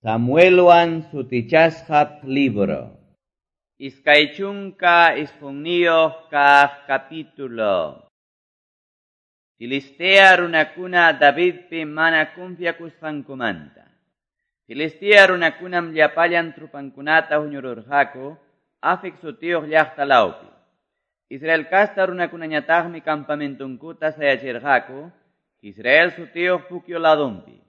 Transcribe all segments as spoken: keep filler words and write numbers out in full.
Samuelwan sutichasqa libro. Iskay chunka isqunniyuq kaq capítulo. Filistea runakuna Davidpi mana confiakusqankumanta. Filistea runakunam llapallan trupankunata huñururqaku Afec sutiyuq llaqta lawpi. Israel kasta runakunañataqmi campamentunkuta sayachirqaku Israel sutiyuq pukyu ladunpi.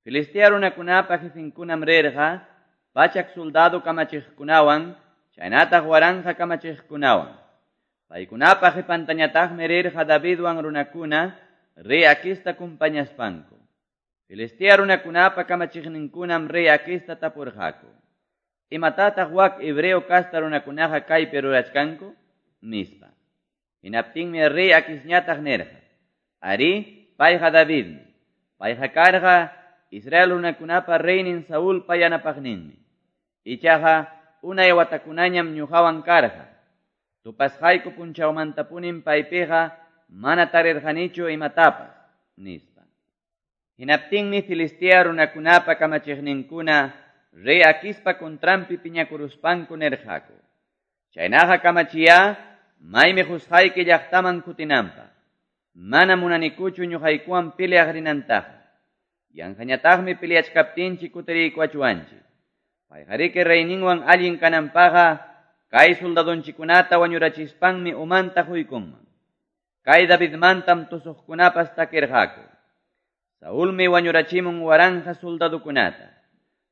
Filistea runakunapa jefenkunam rirqa pachak soldado kamachiqkunawan chaynataq waranqa kamachiqkunawan. Paykunapa qipantañataqmi rirqa Davidwan runakuna rey Aquista kumpañaspanku. Filistea runakunapa kamachiqninkunam rey Aquista tapurqaku: "¿Imatataq wak hebreo kasta runakunaqa kaypi rurachkanku?" nispa. Hinaptinmi rey Aquisñataq nirqa: "Ari, payqa Davidmi. Payqa karqa Israel runakunapa reynin Saulpa yanapaqninmi. Ichaqa unay watakunañam ñuqawan karqa. Tupasqayku punchawmantapunim paypiqa mana tarirqanichu imatapas", nispa. Hinaptinmi Filistea runakunapa kamachiqninkuna rey Aquispa contranpi piñakuruspanku nirqaku: "Chaynaqa kamachiya maymi qusqayki llaqtaman kutinanpaq. Mana munanikuchu ñuqaykuwan peleaq rinantaqa. Yanqañataqmi peleachkaptinchik kutiriykuachwanchik. Payqariki reyninwan allin kananpaqa kay soldadonchikunata wañurachispanmi umanta huykunman. Kay Davidmantam tusuqkunapas takirqaku. Saulmi wañurachimun waranja soldadukunata.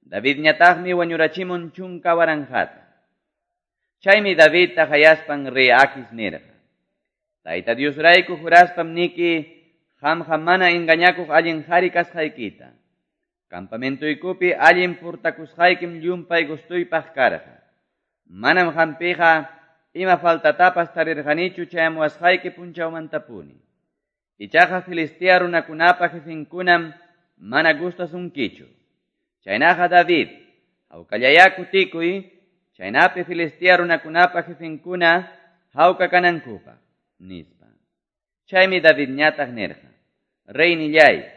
Davidñataqmi wañurachimun chunka waranjata." Chaymi Davidta hayaspan rey Aquis nirqa: "Tayta Diosrayku juraspam niki qamqa mana engañakuq allin qhari kasqaykita. Campamentuykupi allin purtakusqaykim llumpay gustuypaq karqa. Manam qampiqa ima faltatapas tarirqanichu chayamuwasqayki punchawmantapuni. Ichaqa Filistea runakunapa jefenkunam mana gustasunkichu. Chaynaqa David, hawkallayá kutikuy, chaynapi Filistea runakunapa jefenkuna hawka kanankupaq", nispa. Chaymi Davidñataq nirqa: "Reynillay,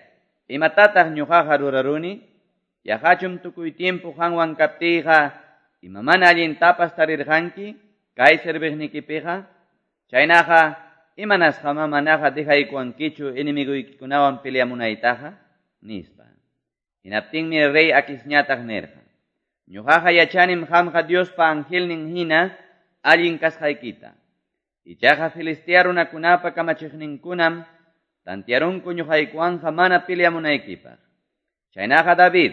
imatataq ñuqaqa ruraruni? Yaqachum tukuy tiempo qanwan kaptiyqa ima mana allintapas tarirqanki kay serviqnikipiqa? Chaynaqa imanasqamá manaqa dejaykuwankichu enemiguykikunawan peleamunaytaqa?" nispa. Hinaptinmi rey Aquisñataq nirqa: "Ñuqaqa yachanim qamqa Diospa angelnin hina allin kasqaykita. Ichaqa Filistea runakunapa kamachiqninkunam tantiarunku ñuqaykuwanqa mana peleamunaykipaq. Chaynaqa David,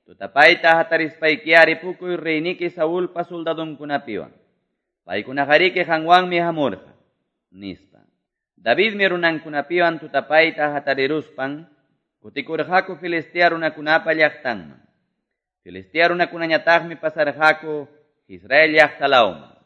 tutapayta hatarispayki ripukuy reyniki Saulpa soldadunkunapiwan. Paykunaqariki qanwanmi hamurqa", nispa. Davidmi runankunapiwan tutapayta hatariruspan kutikurqaku Filistea runakunapa llaqtanman. Filistea runakunañataqmi pasarqaku Israel llaqta lawman.